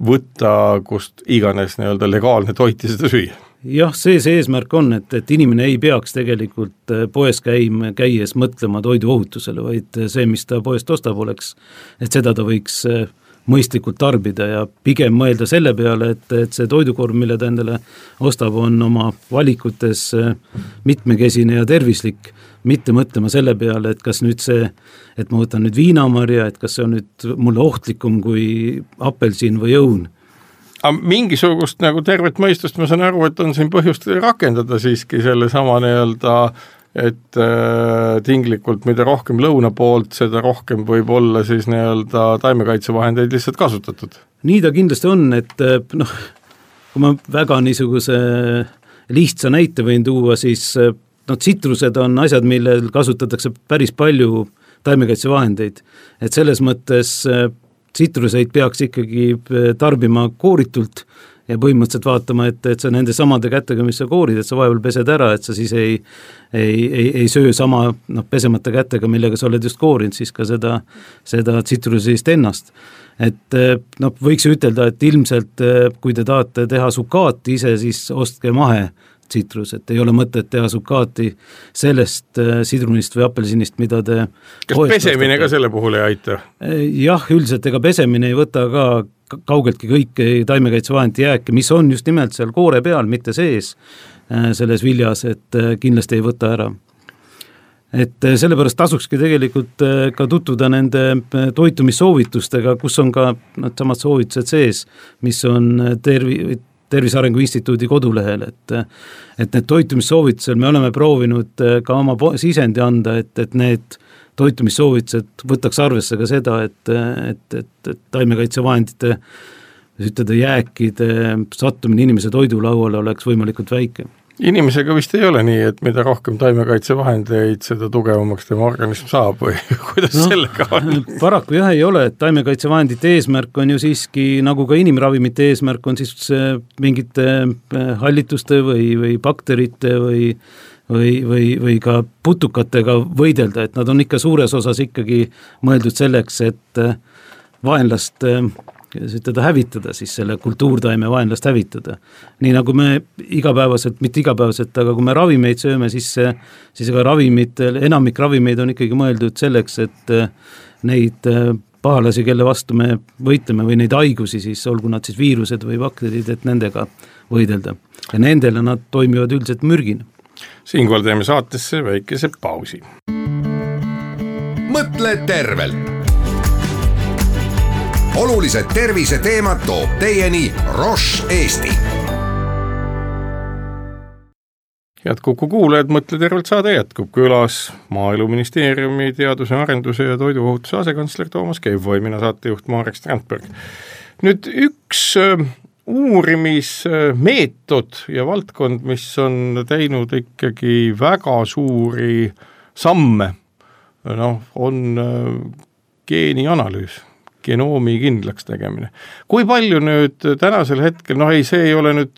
võtta kust iganes nii-öelda legaalne toit ja seda süüa. Jah, see see eesmärk on, et, et inimene ei peaks tegelikult poes käima, käies mõtlema toiduohutusele, vaid see, mis ta poest ostab oleks, et seda ta võiks mõistlikult tarbida ja pigem mõelda selle peale, et, et see toidukorv, mille ta endale ostab, on oma valikutes mitmekesine ja tervislik, mitte mõtlema selle peale, et kas nüüd see, et ma võtan nüüd viinamarja, et kas see on nüüd mulle ohtlikum kui apelsin või õun. Aga mingisugust nagu tervet mõistust ma saan aru, et on siin põhjust rakendada siiski selle sama nii-öelda et äh, tinglikult mida rohkem lõuna poolt, seda rohkem võib olla siis nii-öelda taimekaitsevahendeid lihtsalt kasutatud. Nii ta kindlasti on, et noh, kui ma väga niisuguse lihtsa näite võin tuua, siis no, tsitrused on asjad, millel kasutatakse päris palju taimekaitsevahendeid. Et selles mõttes tsitruseid peaks ikkagi tarbima kooritult ja põhimõtteliselt vaatama, et, et sa nende samade kätega, mis sa koorid, et sa vahepeal pesed ära, et sa siis ei, ei, ei, ei söö sama noh, pesemata kätega, millega sa oled just koorinud, siis ka seda, seda tsitrusist ennast. Et noh, võiks ütelda, et ilmselt kui te tahate teha sukaati ise, siis ostke mahe tsitrus, et ei ole mõtet teha sukaati sellest sidrunist või apelsinist, mida te kas pesemine ka selle puhul ei aita? Jah, üldiselt ega pesemine ei võta ka kaugeltki kõiki taimekaitsevahendi jääke, mis on just nimelt seal koore peal, mitte sees selles viljas, et kindlasti ei võta ära. Et sellepärast tasukski tegelikult ka tutvuda nende toitumissoovitustega, kus on ka nad samad soovitused sees, mis on tervi, Tervise Arengu Instituudi kodulehel, et, et need toitumissoovitusel me oleme proovinud ka oma sisendi anda, et, et need toitumissoovitused võtaks arvesse ka seda, et, et, et, et taimekaitsevahendite ütleda, jääkide sattumine inimese toidulauale oleks võimalikult väike. Inimesega vist ei ole nii, et mida rohkem taimekaitsevahendeid, seda tugevamaks tema organism saab või kuidas no, sellega on? Paraku jah ei ole, et taimekaitsevahendite eesmärk on ju siiski, nagu ka inimravimite eesmärk on siis mingite hallituste või, või bakterite või või, või, või ka putukatega võidelda, et nad on ikka suures osas ikkagi mõeldud selleks, et vaenlast seda hävitada, siis selle kultuurtaime vaenlast hävitada. Nii nagu me igapäevaselt, mitte igapäevaselt, aga kui me ravimeid sööme, siis, siis ega ravimid, enamik ravimeid on ikkagi mõeldud selleks, et neid pahalasi, kelle vastu me võitleme või neid haigusi, siis olgu nad siis viirused või bakterid, et nendega võidelda. Ja nendele nad toimivad üldiselt mürgina. Siinkohal teeme saatesse väikese pausi. Mõtle tervelt! Olulised tervise teemad toob teieni Roche Eesti. Head Kuku kuulajad, Mõtle tervelt saade jätkub külas Maaeluministeeriumi teaduse, arenduse ja toiduohutuse asekantsler Toomas Kevvoi, mina saatejuht Marek Strandberg. Nüüd üks uurimismeetod ja valdkond, mis on teinud ikkagi väga suuri samme, noh, on geenianalüüs. Genoomi kindlaks tegemine. Kui palju nüüd tänasel hetkel, noh ei, see ei ole nüüd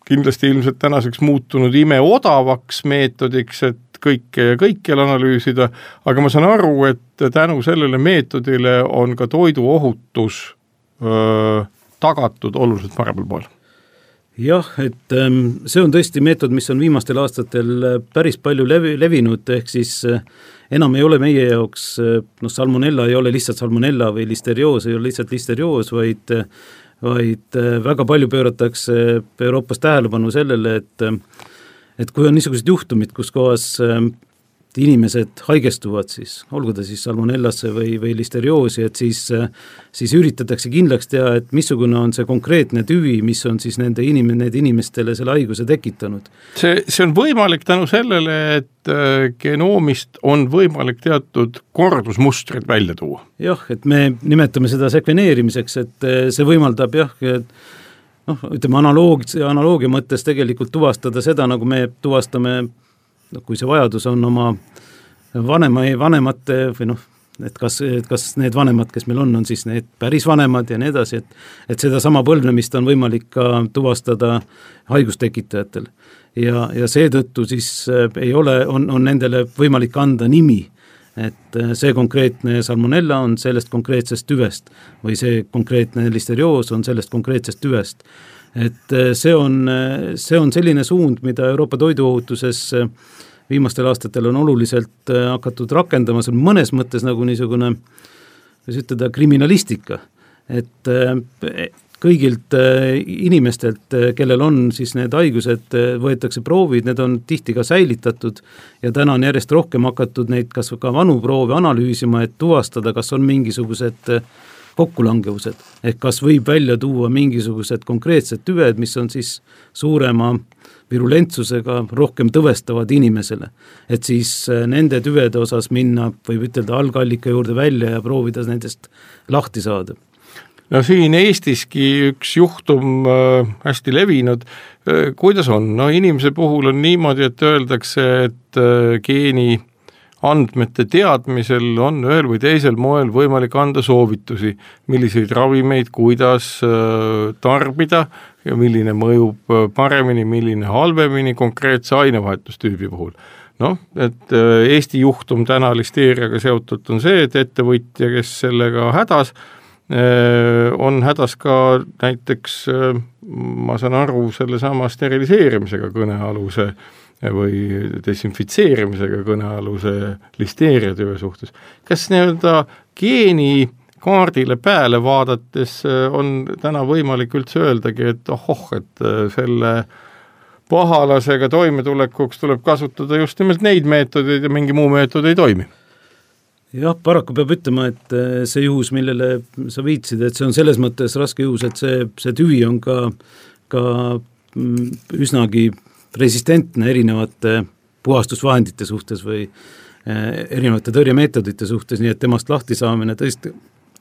kindlasti ilmselt tänaseks muutunud ime odavaks meetodiks, et kõike ja kõikjal analüüsida, aga ma saan aru, et tänu sellele meetodile on ka toiduohutus öö, tagatud oluliselt paremal pool. Jah, et see on tõesti meetod, mis on viimastel aastatel päris palju levi, levinud, ehk siis enam ei ole meie jaoks, noh salmonella ei ole lihtsalt salmonella või listerioos ei ole lihtsalt listerioos, vaid, vaid väga palju pööratakse Euroopas tähelepanu sellele, et, et kui on niisugused juhtumid, kus kohas inimesed haigestuvad siis, olgu ta siis salmonellasse või, või listerioosi, et siis, siis üritatakse kindlaks teha, et missugune on see konkreetne tüvi, mis on siis nende inim- need inimestele selle haiguse tekitanud. See, see on võimalik tänu sellele, et genoomist on võimalik teatud kordusmustrid välja tuua. Jah, et me nimetame seda sekveneerimiseks, et see võimaldab jah, et noh, ütleme analoog, analoogia mõttes tegelikult tuvastada seda, nagu me tuvastame kui see vajadus on oma vanema, vanemate või noh, et kas, et kas need vanemad, kes meil on, on siis need päris vanemad ja nii edasi, et, et seda sama põlvnemist on võimalik ka tuvastada haigustekitajatel. Ja, ja seetõttu siis ei ole, on, on nendele võimalik anda nimi, et see konkreetne salmonella on sellest konkreetsest tüvest või see konkreetne listerioos on sellest konkreetsest tüvest. Et see on, see on selline suund, mida Euroopa toiduohutuses viimastel aastatel on oluliselt hakatud rakendama, see on mõnes mõttes nagu niisugune, võis ütelda, kriminalistika, et kõigilt inimestelt, kellel on siis need haigused, võetakse proovid, need on tihti ka säilitatud ja täna on järjest rohkem hakatud neid kas ka vanu proove analüüsima, et tuvastada, kas on mingisugused kokkulangevused, ehk kas võib välja tuua mingisugused konkreetsed tüved, mis on siis suurema virulentsusega rohkem tõvestavad inimesele. Et siis nende tüvede osas minna, võib ütelda algallika juurde välja ja proovida nendest lahti saada. No siin Eestiski üks juhtum äh, hästi levinud, äh, kuidas on? No inimese puhul on niimoodi, et öeldakse, et äh, geeni andmete teadmisel on ühel või teisel moel võimalik anda soovitusi, milliseid ravimeid, kuidas tarbida ja milline mõjub paremini, milline halvemini konkreetse ainevahetustüübi puhul. Noh, et Eesti juhtum täna listeeriaga seotud on see, et ettevõtja, kes sellega hädas, on hädas ka näiteks, ma saan aru, selle sama steriliseerimisega kõnealuse või desinfitseerimisega kõnealuse listeeriatüve suhtes. Kas nii-öelda geeni kaardile pääle vaadates on täna võimalik üldse öeldagi, et ohoh, et selle pahalasega toimetulekuks tuleb kasutada just nimelt neid meetodeid ja mingi muu meetod ei toimi? Jah, paraku peab ütlema, et see juhus, millele sa viitsid, et see on selles mõttes raske juhus, et see, see tüvi on ka, ka üsnagi resistentne erinevate puhastusvahendite suhtes või erinevate tõrjemeetodite suhtes, nii et temast lahti saamine tõesti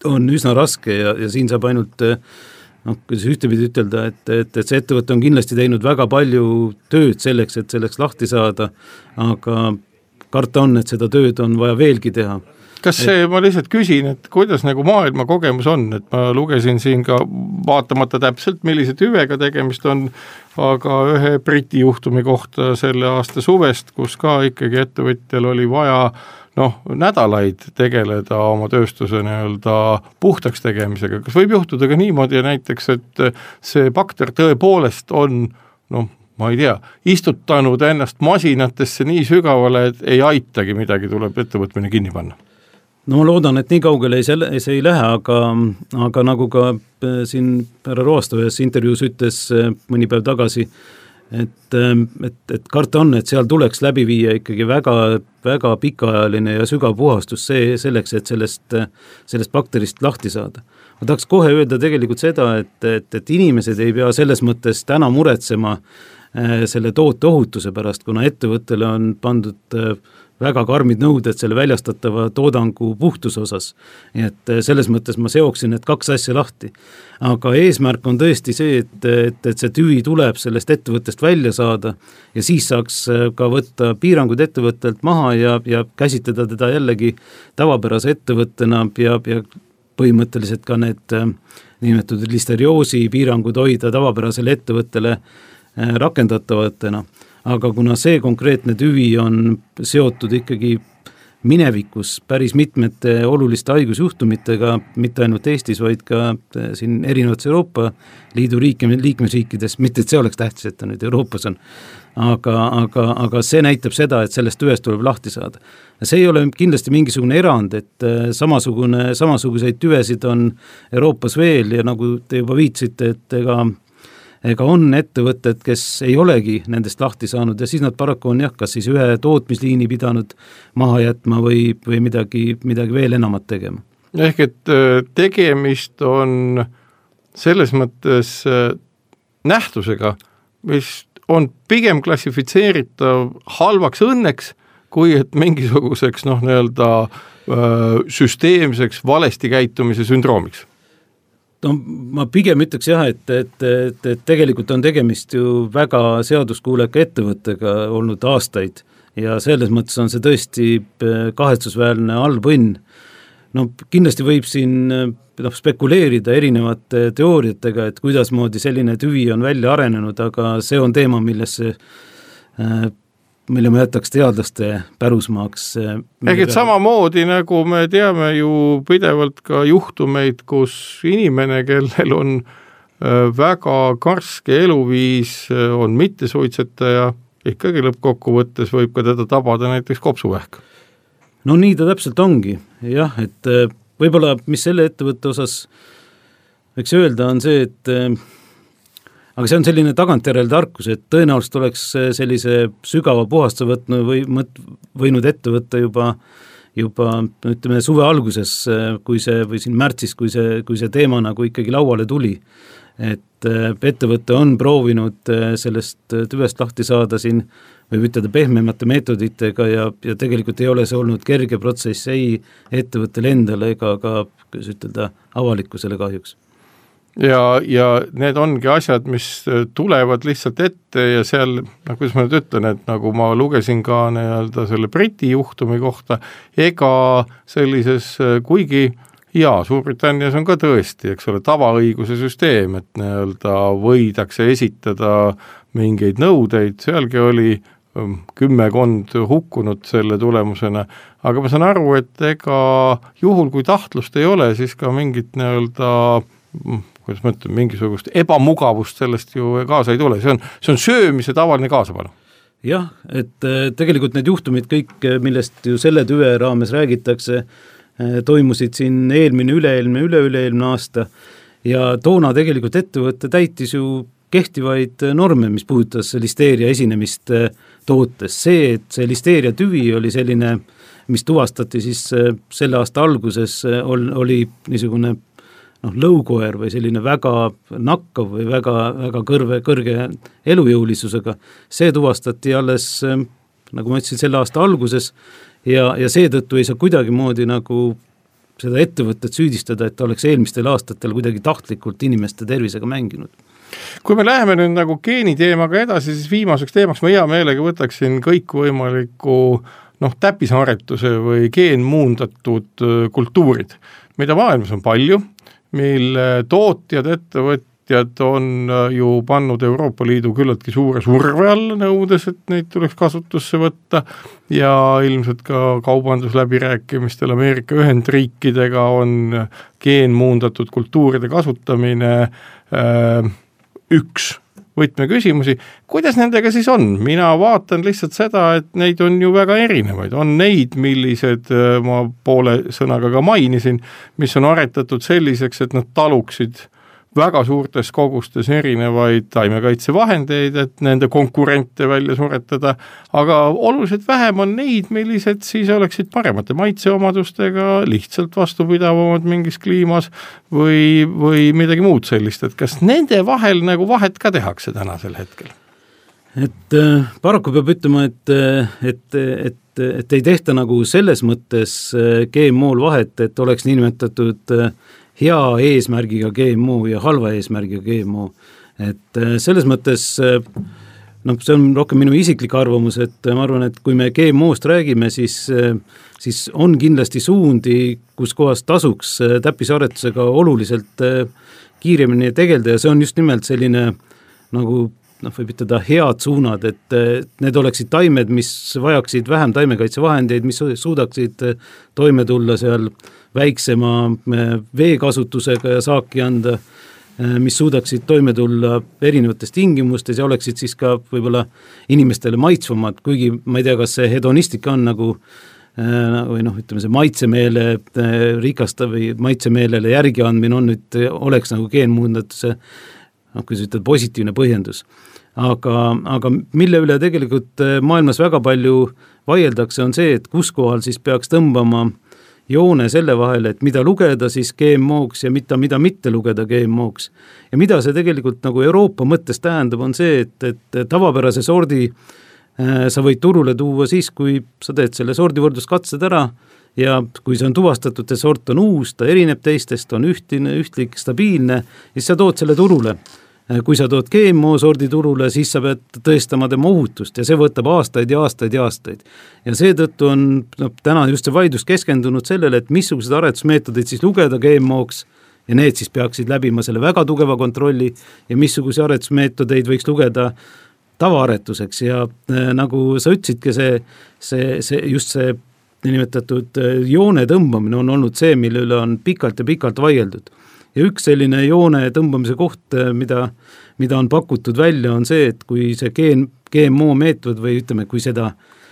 on üsna raske ja, ja siin saab ainult noh, kuidas ühtepidi ütelda, et, et, et see ettevõte on kindlasti teinud väga palju tööd selleks, et selleks lahti saada, aga karta on, et seda tööd on vaja veelgi teha. Kas see, et, ma lihtsalt küsin, et kuidas nagu maailma kogemus on, et ma lugesin siin ka vaatamata täpselt, millise tüvega tegemist on, aga ühe Briti juhtumi kohta selle aasta suvest, kus ka ikkagi ettevõtjal oli vaja noh, nädalaid tegeleda oma tööstuse nii-öelda puhtaks tegemisega. Kas võib juhtuda ka niimoodi näiteks, et see bakter tõepoolest on, noh, ma ei tea, istutanud ennast masinatesse nii sügavale, et ei aitagi midagi, tuleb ettevõtmine kinni panna? No ma loodan, et nii kaugele ei, see, see ei lähe, aga, aga nagu ka siin härra Roasto ühes intervjuus ütles mõni päev tagasi, et, et, et karta on, et seal tuleks läbi viia ikkagi väga, väga pikaajaline ja sügav puhastus see, selleks, et sellest, sellest bakterist lahti saada. Ma tahaks kohe öelda tegelikult seda, et, et, et inimesed ei pea selles mõttes täna muretsema selle toote ohutuse pärast, kuna ettevõttele on pandud väga karmid nõuded selle väljastatava toodangu puhtuse osas. Nii et selles mõttes ma seoksin need kaks asja lahti. Aga eesmärk on tõesti see, et, et, et see tüvi tuleb sellest ettevõttest välja saada ja siis saaks ka võtta piirangud ettevõttelt maha ja, ja käsitleda teda jällegi tavapärase ettevõttena ja, ja põhimõtteliselt ka need nimetatud listerioosi piirangud hoida tavapärasele ettevõttele rakendatavatena. Aga kuna see konkreetne tüvi on seotud ikkagi minevikus päris mitmete oluliste haigusjuhtumitega, mitte ainult Eestis, vaid ka siin erinevates Euroopa Liidu liikmesriikides, mitte et see oleks tähtis, et ta nüüd Euroopas on, aga, aga, aga see näitab seda, et sellest tüvest tuleb lahti saada. See ei ole kindlasti mingisugune erand, et samasugune, samasuguseid tüvesid on Euroopas veel ja nagu te juba viitsite, et ega ega on ettevõtted, kes ei olegi nendest lahti saanud ja siis nad paraku on jah, kas siis ühe tootmisliini pidanud maha jätma või, või midagi, midagi veel enamat tegema. Ehk et tegemist on selles mõttes nähtusega, mis on pigem klassifitseeritav halvaks õnneks, kui et mingisuguseks noh, nii-öelda süsteemseks valesti käitumise sündroomiks. No, ma pigem ütleks jah, et, et, et, et tegelikult on tegemist ju väga seaduskuuleka ettevõttega olnud aastaid ja selles mõttes on see tõesti kahetsusväärne halb õnn. No kindlasti võib siin noh, spekuleerida erinevate teooriatega, et kuidas moodi selline tüvi on välja arenenud, aga see on teema, millesse mille ma jätaks teadlaste pärusmaaks. Ehk et samamoodi, nagu me teame ju pidevalt ka juhtumeid, kus inimene, kellel on väga karske eluviis, on mittesuitsetaja, ikkagi lõppkokkuvõttes võib ka teda tabada näiteks kopsuvähk. No nii ta täpselt ongi, jah, et võib-olla mis selle ettevõtte osas võiks öelda on see, et aga see on selline tagantjärele tarkus, et tõenäoliselt oleks sellise sügava puhastuse võtnud või mõt, võinud ette võtta juba, juba ütleme suve alguses, kui see, või siin märtsis, kui see, kui see teema nagu ikkagi lauale tuli. Et ettevõte on proovinud sellest tüvest lahti saada siin, võib ütelda pehmemate meetoditega ja, ja tegelikult ei ole see olnud kerge protsess ei ettevõttele endale ega ka, kuidas ütelda, avalikkusele kahjuks. ja, ja need ongi asjad, mis tulevad lihtsalt ette ja seal, noh, kuidas ma nüüd ütlen, et nagu ma lugesin ka nii-öelda selle Briti juhtumi kohta, ega sellises, kuigi jaa, Suurbritannias on ka tõesti, eks ole, tavaõiguse süsteem, et nii-öelda võidakse esitada mingeid nõudeid, sealgi oli kümmekond hukkunud selle tulemusena, aga ma saan aru, et ega juhul, kui tahtlust ei ole, siis ka mingit nii-öelda, kuidas ma ütlen, mingisugust ebamugavust sellest ju kaasa ei tule, see on, see on söömise tavaline kaasapanu. Jah, et tegelikult need juhtumid kõik, millest ju selle tüve raames räägitakse, toimusid siin eelmine, üleelmine, üle-üleelmine aasta ja toona tegelikult ettevõtte täitis ju kehtivaid norme, mis puudutas listeeria esinemist tootes. See, et see listeeria tüvi oli selline, mis tuvastati siis selle aasta alguses, oli niisugune noh, lõukoer või selline väga nakkav või väga, väga kõrve, kõrge elujõulisusega. See tuvastati alles, nagu ma ütlesin, selle aasta alguses ja, ja seetõttu ei saa kuidagi moodi nagu seda ettevõtet süüdistada, et ta oleks eelmistel aastatel kuidagi tahtlikult inimeste tervisega mänginud. Kui me läheme nüüd nagu geeniteemaga edasi, siis viimaseks teemaks ma hea meelega võtaksin kõikvõimaliku noh, täppisaretuse või geenmuundatud kultuurid, mida maailmas on palju, mille tootjad, ettevõtjad on ju pannud Euroopa Liidu küllaltki suure surve alla nõudes, et neid tuleks kasutusse võtta ja ilmselt ka kaubandusläbirääkimistel Ameerika Ühendriikidega on geenmuundatud kultuuride kasutamine äh, üks võtmeküsimusi. Kuidas nendega siis on? Mina vaatan lihtsalt seda, et neid on ju väga erinevaid. On neid, millised ma poole sõnaga ka mainisin, mis on aretatud selliseks, et nad taluksid väga suurtes kogustes erinevaid taimekaitsevahendeid, et nende konkurente välja suretada, aga oluliselt vähem on neid, millised siis oleksid paremate maitseomadustega, lihtsalt vastupidavamad mingis kliimas või, või midagi muud sellist, et kas nende vahel nagu vahet ka tehakse tänasel hetkel? Et äh, paraku peab ütlema, et, et, et, et ei tehta nagu selles mõttes G M O-l vahet, et oleks niinimetatud äh, hea eesmärgiga G M O ja halva eesmärgiga G M O. Et selles mõttes, noh, see on rohkem minu isiklik arvamus, et ma arvan, et kui me G M O-st räägime, siis, siis on kindlasti suundi, kus kohas tasuks täppisaretusega oluliselt kiiremini tegelda ja see on just nimelt selline nagu noh, võib ütelda head suunad, et need oleksid taimed, mis vajaksid vähem taimekaitsevahendeid, mis suudaksid toime tulla seal väiksema veekasutusega ja saaki anda, mis suudaksid toime tulla erinevates tingimustes ja oleksid siis ka võib-olla inimestele maitsvamad, kuigi ma ei tea, kas see hedonistika on nagu või noh, ütleme see maitsemeele rikasta või maitsemeelele järgi andmine on nüüd, oleks nagu geenmuundatuse noh, kui sa ütled positiivne põhjendus. Aga, aga mille üle tegelikult maailmas väga palju vaieldakse on see, et kus kohal siis peaks tõmbama joone selle vahele, et mida lugeda siis G M O-ks ja mida, mida mitte lugeda G M O-ks. Ja mida see tegelikult nagu Euroopa mõttes tähendab, on see, et, et tavapärase sordi äh, sa võid turule tuua siis, kui sa teed selle sordivõrdluskatsed ära ja kui see on tuvastatud, see sort on uus, ta erineb teistest, on ühtine, ühtlik, stabiilne, siis sa tood selle turule. Kui sa tood G M O sordi turule, siis sa pead tõestama tema ohutust ja see võtab aastaid ja aastaid ja aastaid. Ja seetõttu on no, täna just see vaidlus keskendunud sellele, et missugused aretusmeetodeid siis lugeda G M O-ks ja need siis peaksid läbima selle väga tugeva kontrolli ja missuguse aretusmeetodeid võiks lugeda tavaaretuseks ja äh, nagu sa ütlesidki, see, see, see, just see nimetatud joone tõmbamine on olnud see, mille üle on pikalt ja pikalt vaieldud. Ja üks selline joone tõmbamise koht, mida, mida on pakutud välja, on see, et kui see G M O meetod või ütleme, kui seda,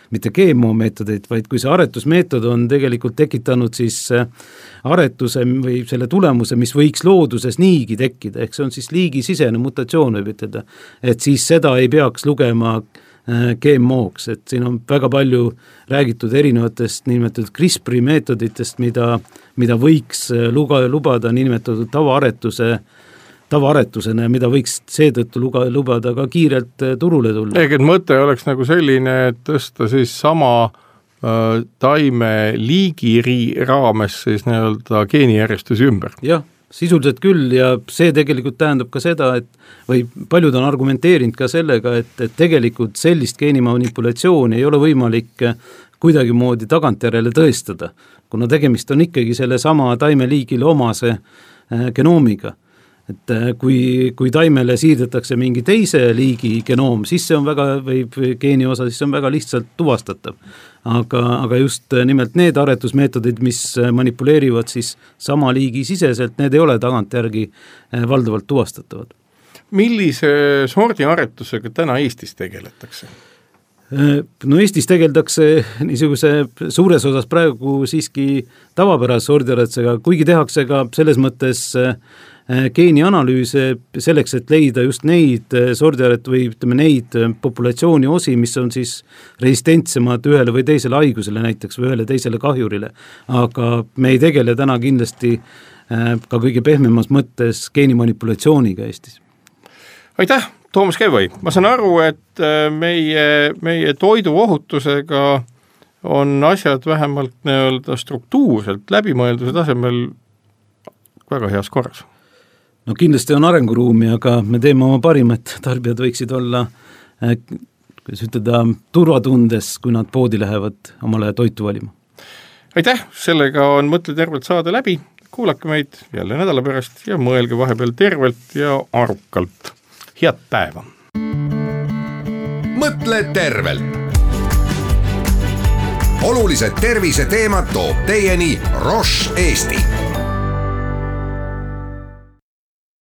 mitte G M O meetodeid, vaid kui see aretusmeetod on tegelikult tekitanud siis aretuse või selle tulemuse, mis võiks looduses niigi tekkida, ehk see on siis liigisisene mutatsioon võib ütelda, et siis seda ei peaks lugema G M O-ks, et siin on väga palju räägitud erinevatest niinimetatud CRISPR meetoditest, mida, mida võiks luga, lubada niinimetatud tavaaretuse, tavaaretusena ja mida võiks seetõttu luga, lubada ka kiirelt turule tulla. Ehk et mõte oleks nagu selline, et tõsta siis sama äh, taime liigi raames siis nii-öelda geenijärjestusi ümber. Jah, sisuliselt küll ja see tegelikult tähendab ka seda, et või paljud on argumenteerinud ka sellega, et, et tegelikult sellist geenimanipulatsiooni ei ole võimalik kuidagi moodi tagantjärele tõestada, kuna tegemist on ikkagi selle sama taimeliigile omase genoomiga. Et kui, kui taimele siirdetakse mingi teise liigi genoom, siis see on väga, või geeni osa, siis see on väga lihtsalt tuvastatav. Aga, aga just nimelt need aretusmeetodid, mis manipuleerivad siis sama liigi siseselt, need ei ole tagantjärgi valdavalt tuvastatavad. Millise sordi aretusega täna Eestis tegeletakse? No Eestis tegeldakse niisuguse suures osas praegu siiski tavapärase sordiaretusega, kuigi tehakse ka selles mõttes geenianalüüse selleks, et leida just neid sordiaret või ütleme neid populatsiooni osi, mis on siis resistentsemad ühele või teisele haigusele näiteks või ühele teisele kahjurile. Aga me ei tegele täna kindlasti ka kõige pehmemas mõttes geenimanipulatsiooniga Eestis. Aitäh, Toomas Kevõi. Ma saan aru, et meie, meie toiduohutusega on asjad vähemalt nii-öelda struktuurselt läbimõelduse tasemel väga heas korras. No kindlasti on arenguruumi, aga me teeme oma parima, et tarbijad võiksid olla kuidas ütelda, turvatundes, kui nad poodi lähevad omale toitu valima. Aitäh, sellega on Mõtle tervelt saade läbi. Kuulake meid jälle nädala pärast ja mõelge vahepeal tervelt ja arukalt. Head päeva! Mõtle tervelt! Olulised tervise teemad toob teieni Roche Eesti.